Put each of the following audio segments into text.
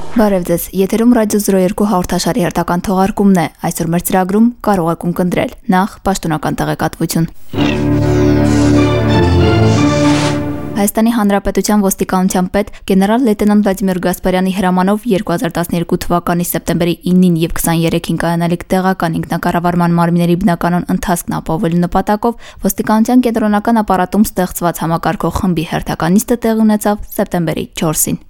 Բարև ձեզ, եթերում Ռադիո 02 հաղորդաշարի հերթական թողարկումն է։ Այսօր մեր ծրագրում կարող եք ունկնդրել նախ պաշտոնական տեղեկատվություն։ Հայաստանի Հանրապետության ոստիկանության պետ գեներալ լեյտենանտ Վլադիմիր Գասպարյանի հրամանով 2012 թվականի սեպտեմբերի 9-ին եւ 23-ին կայանալիք տեղական ինքնակառավարման մարմինների բնականոն ընթացքն ապահովելու նպատակով ոստիկանության կենտրոնական ապարատում ստեղծված համակարգող խմբի հերթական նիստը տեղի ունեցավ սեպտեմբերի 4-ին։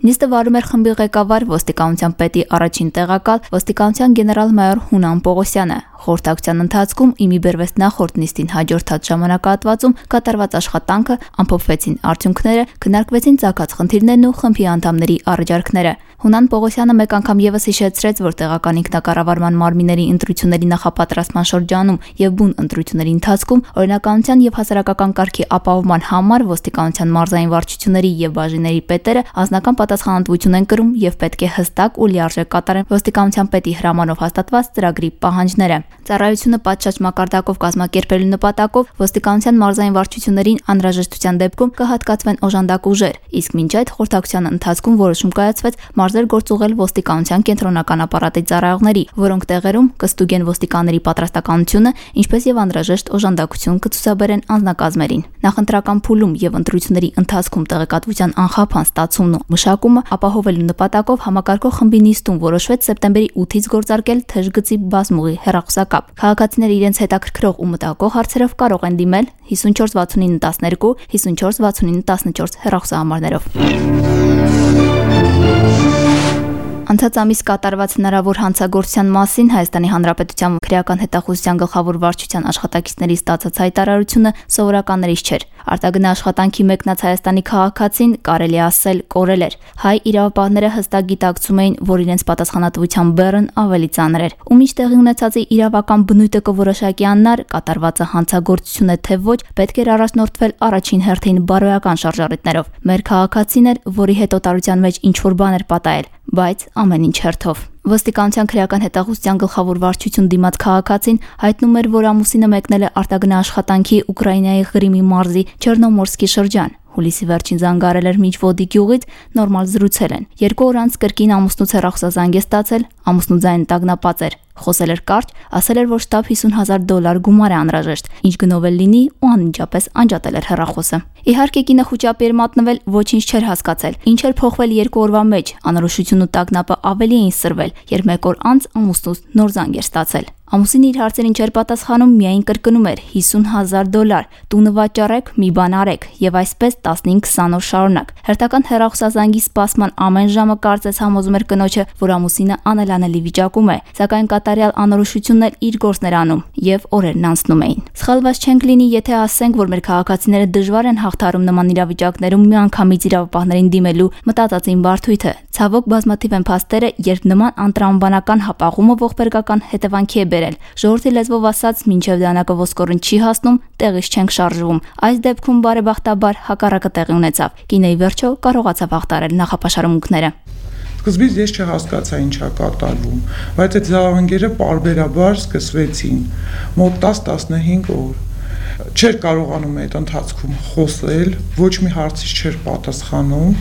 Նիստը վարում էր խմբի ղեկավար ոստիկանության պետի առաջին տեղակալ ոստիկանության գեներալ-մայոր Հունան Պողոսյանը։ Խորհրդակցության ընթացքում իմի բերվեց նախորդ նիստին հաջորդած ժամանակահատվածում կատարված աշխատանքը, ամփոփվեցին արդյունքները, քննարկվեցին ծագած խնդիրներն ու խմբի անդամների առաջարկները։ Հունան Պողոսյանը մեկ անգամ եւս հիշեցրեց, որ տեղական ինքնակառավարման մարմինների ընտրությունների նախապատրաստման շրջանում եւ բուն ընտրությունների ընթացքում օրինականության եւ հասարակական կարգի ապահովման համար ոստիկանության մարզային վարչությունների եւ բաժինների պետերը անձնական պատասխանատվություն են կրում եւ պետք է հստակ ու լիարժեք կատարեն ոստիկանության պետի հրամանով հաստատված ծրագրի պահանջները։ Ծառայությունը պատշաճ մակարդակով կազմակերպելու նպատակով ոստիկանության մարզային վարչություններին անհրաժեշտության դեպքում կհատկացվեն օժանդակ ուժեր, իսկ մինչ այդ խորհրդակցության ընթացքում որոշում կայացվեց մարզեր գործուղել ոստիկանության կենտրոնական ապարատի ծառայողների, որոնք տեղերում կստուգեն ոստիկանների պատրաստականությունը, ինչպես եւ անհրաժեշտ օժանդակություն կցուցաբերեն անձնակազմերին։ Նախընտրական փուլում եւ ընտրությունների ընթացքում տեղեկատվության անխափան ստացումն ու մշակումը ապահովելու նպատակով համակարգող խմբի նիստում որոշվեց սեպտեմբերի 8-ից գործարկել թեժգծի բազմուղի հեռախոսակապ։ Քաղաքացիները իրենց հետաքրքրող ու մտահոգող հարցերով կարող են դիմել 546912, 546914 հեռախոսահամարներով։ Անցած ամիս կատարված հնարավոր հանցագործության մասին Հայաստանի Հանրապետության քրեական հետախուզության գլխավոր վարչության աշխատակիցների ստացած հայտարարությունը սովորականներից չէր։ Արտագնա աշխատանքի մեկնած Հայաստանի քաղաքացին կարելի ասել կորել էր։ Հայ իրավապահները հստակ գիտակցում էին, որ իրենց պատասխանատվության բեռն ավելի ծանր էր։ Ու մինչ տեղի ունեցածի իրավական բնույթը կորոշակի աննար, կատարվածը հանցագործություն է թե ոչ, պետք էր առաջնորդվել առաջին հերթին բարոյական շարժառիթներով։ Մեր քաղաքացին էր, որի հետ օտարության մեջ ինչ-որ բան էր պատահել, բայց ամեն ինչ հերթով։ Ոստիկանության քրեական հետախուզության գլխավոր վարչություն դիմաց քաղաքացին հայտնում էր, որ ամուսինը մեկնել է արտագնա աշխատանքի Ուկրաինայի Ղրիմի մարզի Չեռնոմորսկի շրջան։ Հուլիսի վերջին զանգարել էր Միջվոդի գյուղից, նորմալ զրուցել են։ 2 օր անց կրկին ամուսնուց հեռախոսազանգ է ստացել, ամուսնու ձայնը տագնապած էր։ Խոսել էր կարճ, ասել էր, որ շտապ $50,000 գումար է անհրաժեշտ, ինչ գնով էլ լինի ու անմիջապես անջատել էր հեռախոսը։ Իհարկե կինը խուճապի էր մատնվել, ոչինչ չէր հասկացել։ Ինչ էր փոխվել 2 օրվա մեջ, անորոշությունն ու տագնապը ավելի էին սրվել, երբ 1 օր անց ամուսնուց նոր զանգ էր ստացել։ Ամուսինը իր հարցերին չէր պատասխանում, միայն կրկնում էր $50,000, տունը վաճառեք, մի բան արեք, եւ այսպես 15-20 օր շարունակ։ Հերթական հեռախոսազանգի սպասման ամեն ժամը կարծես համոզում էր կնոջը, որ ամուսինը անելանելի վիճակում է, սակայն կատարյալ անորոշությունն էլ իր գործն էր անում եւ օրերն անցնում էին։ Սխալված չենք լինի, եթե ասենք, որ մեր քաղաքացիները դժվար են հաղթարում նման իրավիճակներում միանգամից իրավապահներին դիմելու մտածածին բարդույթը։ Ցավոք բազմաթիվ են փաստերը, երբ նման անտրամաբանական հապաղումը ողբերգական հետևանքի է բերել։ Ժողովրդի լեզվով ասած, մինչև դանակը ոսկորն չի հասնում, տեղից չենք շարժվում։ Այս դեպքում բարեբախտաբար հակառակը տեղի ունեցավ։ Կինեի վերջո կարողացավ հաղթարել նախապաշարմունքները։ Սկզբից ես չհասկացա ինչա կատարվում, բայց այդ զավանգերը պարբերաբար սկսվեցին մոտ 10-15 օր։ Չէր կարողանում այդ ընթացքում խոսել, ոչ մի հարցից չէր պատասխանում։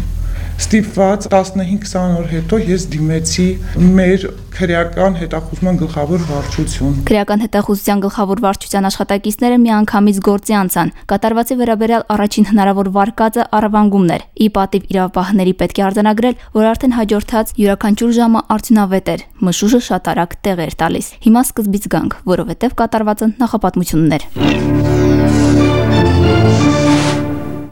Ստիպված 15-20 օր հետո ես դիմեցի մեր քրեական հետախուզման գլխավոր վարչություն։ Քրեական հետախուզության գլխավոր վարչության աշխատակիցները միանգամից գործի անցան։ Կատարվածի վերաբերյալ առաջին հնարավոր վարկածը առևանգումն էր։ Ի պատիվ իրավապահների պետք է արձանագրել, որ արդեն հաջորդած յուրաքանչյուր ժամը արդյունավետ էր։ Մշուշը շատ արագ տեղ էր տալիս։ Հիմա սկզբից գանք, որովհետև կատարվածը նախապատմությունն էր։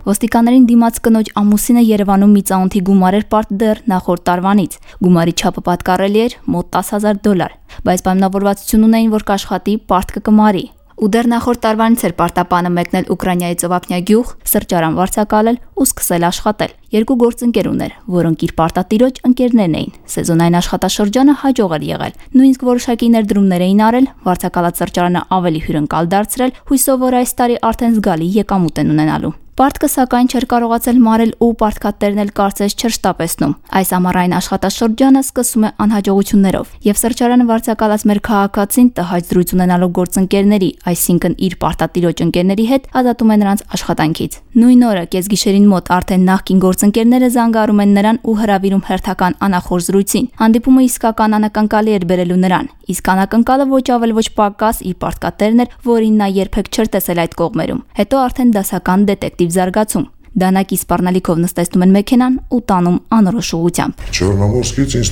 Ոստիկաններին դիմաց կնոջ ամուսինը Երևանում մի ծանոթի գումար էր պարտդեր նախորդ տարվանից։ Գումարի չափը պատկառելի էր մոտ $10,000, բայց պայմանավորվածություն ունեին, որ կաշխատի պարտքը կմարի։ Ու դեռ նախորդ տարվանից էր պարտապանը մեկնել Ուկրաինայի ծովափնյա գյուղ, սրճարան վարձակալել ու սկսել աշխատել։ 2 գործընկեր ուներ, որոնք իր պարտատիրոջ ընկերներն էին։ Սեզոնային աշխատաշրջանը հաջող էր եղել։ Նույնիսկ որոշակի ներդրումներ էին արել, վարձակալած սրճարանը ավելի հյուրընկալ դարձրել, հույսով որ այս տարի արդեն զգալի եկամուտ են ունենալու։ Պարտքը սակայն չէր կարողացել մարել ու պարտքատերն էլ կարծես չէր շտապեցնում։ Այս ամառային աշխատաշրջանը սկսում է անհաջողություններով, եւ սրճարանը վարձակալած մեր քաղաքացին տհաճ զրույց ունենալով գործընկերների, այսինքն իր պարտատիրոջ ընկերների հետ, ազատում է նրանց աշխատանքից։ Նույն օրը կեսգիշերին մոտ արդեն նախկին գործընկերները զանգարում են նրան ու հրավիրում հերթական անախոր զրույցին։ Հանդիպումը իսկական անակնկալի էր բերելու նրան, իսկ անակնկալը ոչ ավել ոչ պակաս իր պարտքատերն էր, որին նա երբեք չէր տեսել այդ կողմերում։ Հետո արդեն դասական դետեկտիվ զարգացում։ Դանակի սպառնալիքով նստեցնում են մեքենան ու տանում անորոշ ուղղությամբ։ Չեռնամորսկից ինձ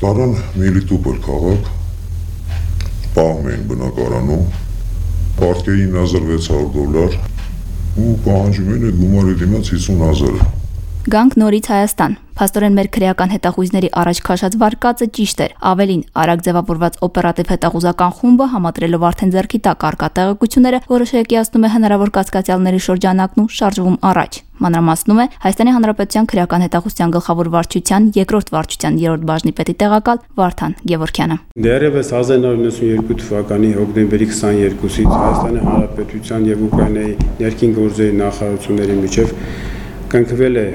տարան Մելիտոպոլ քաղաք, պահում էին բնակարանում, պարտքերի $9,600 ու պահանջում են այդ գումարի դիմաց 50,000։ Գանք նորից Հայաստան։ Փաստորեն մեր քրեական հետախույզների առաջ քաշած վարկածը ճիշտ էր։ Ավելին, արագ ձևավորված օպերատիվ հետախուզական խումբը համադրելով արդեն ձեռքի տակ առկա տեղեկությունները, որոշակիացնում է հնարավոր կասկածյալների շրջանակն ու շարժվում առաջ։ Մանրամասնում է Հայաստանի Հանրապետության քրեական հետախուզության գլխավոր վարչության երկրորդ վարչության 3-րդ բաժնի պետի տեղակալ Վարդան Գևորգյանը։ Դեռևս 1992 թվականի հոկտեմբերի 22-ից Հայաստանի Հանրապետության եւ Ուկրաինայի ներքին գործերի նախարարությունների միջև կնքվել է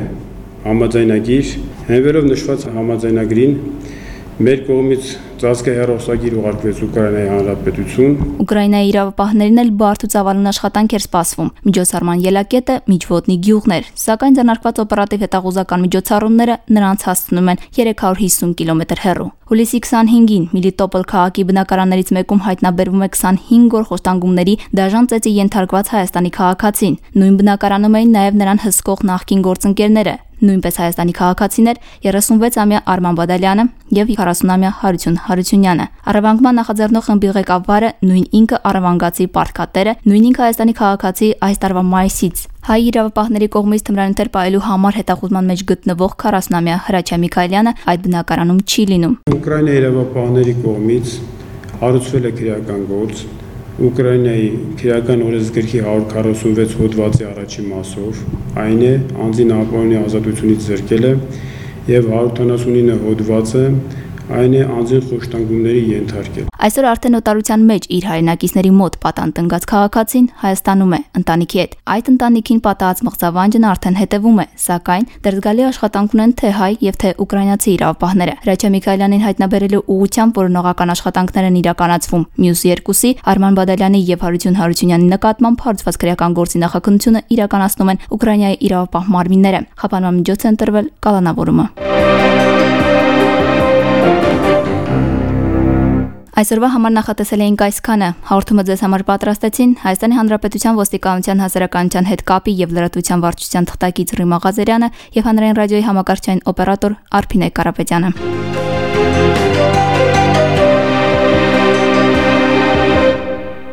համաձայնագիր, հենվելով նշված համաձայնագրին մեր կողմից ծածկե հեռախոսագիր ուղարկվեց Ուկրաինայի Հանրապետություն։ Ուկրաինայի իրավապահներին էլ բարդ ու ծավալուն աշխատանք էր սպասվում։ Միջոցառման ելակետը միջոտնի գյուղն էր, սակայն ձեռնարկված օպերատիվ հետախուզական միջոցառումները նրանց հասցնում են 350 կիլոմետր հեռու։ Հուլիսի 25-ին Մելիտոպոլ քաղաքի բնակարաններից մեկում հայտնաբերվում է 25 օր խոշտանգումների դաժան ծեծի ենթարկված Հայաստանի քաղաքացին։ Նույն բնակարանում էին նաև նրան հսկող նախկին գործընկերները, նույնպես Հայաստանի քաղաքացիներ 36-ամյա Արման Բադալյանը եւ 40-ամյա Հարություն Հարությունյանը։ Առևանգման նախաձեռնող խմբի ղեկավարը նույն ինքը առևանգացի պարտքատերը, նույն ինքը Հայաստանի քաղաքացի այս տարվա մայիսից հայ իրավապահների կողմից թմրանյութեր պահելու համար հետախուզման մեջ գտնվող 40-ամյա Հրաչյա Միքայելյանը այդ բնակարանում չի լինում։ Ուկրաինայի իրավապահների կողմից հարուցվել է քրեական գործ Ուկրաինայի քրեական օրենսգրքի 146 հոդվածի առաջին մասով, այն է անձին ապահովի ազատությունից զրկելը եւ 179 հոդվածը այն է անձին խոշտանգումների ենթարկել։ Այսօր արդեն նոտարության մեջ իր հայրենակիցների մոտ պատանտնգած քաղաքացին Հայաստանում է ընտանիքի հետ։ Այդ ընտանիքին պատահած մղձավանջն արդեն հետևում է, սակայն դեռ զգալի աշխատանք ունեն թե հայ եւ թե ուկրաինացի իրավապահները։ Հրաչյա Միքայելյանին հայտնաբերելու ուղղությամբ որոնողական աշխատանքներ են իրականացվում։ Մյուս երկուսի Արման Բադալյանի եւ Հարություն Հարությունյանի նկատմամբ հարուցված քրեական գործի նախաքննությունը իրականացնում են Ուկրաինայի իրավապահ մարմինները։ Խափանման միջոց է ընտրվել կալանավորումը։ Այսօրվա համար նախատեսել էինք այսքանը։ Հաղորդումը ձեզ համար պատրաստեցին Հայաստանի Հանրապետության ոստիկանության հասարակայնության հետ կապի եւ լրատվության վարչության թղթակից Ռիմա Ղազարյանը եւ հանրային ռադիոյի համակարգչային օպերատոր Արփինե Կարապետյանը։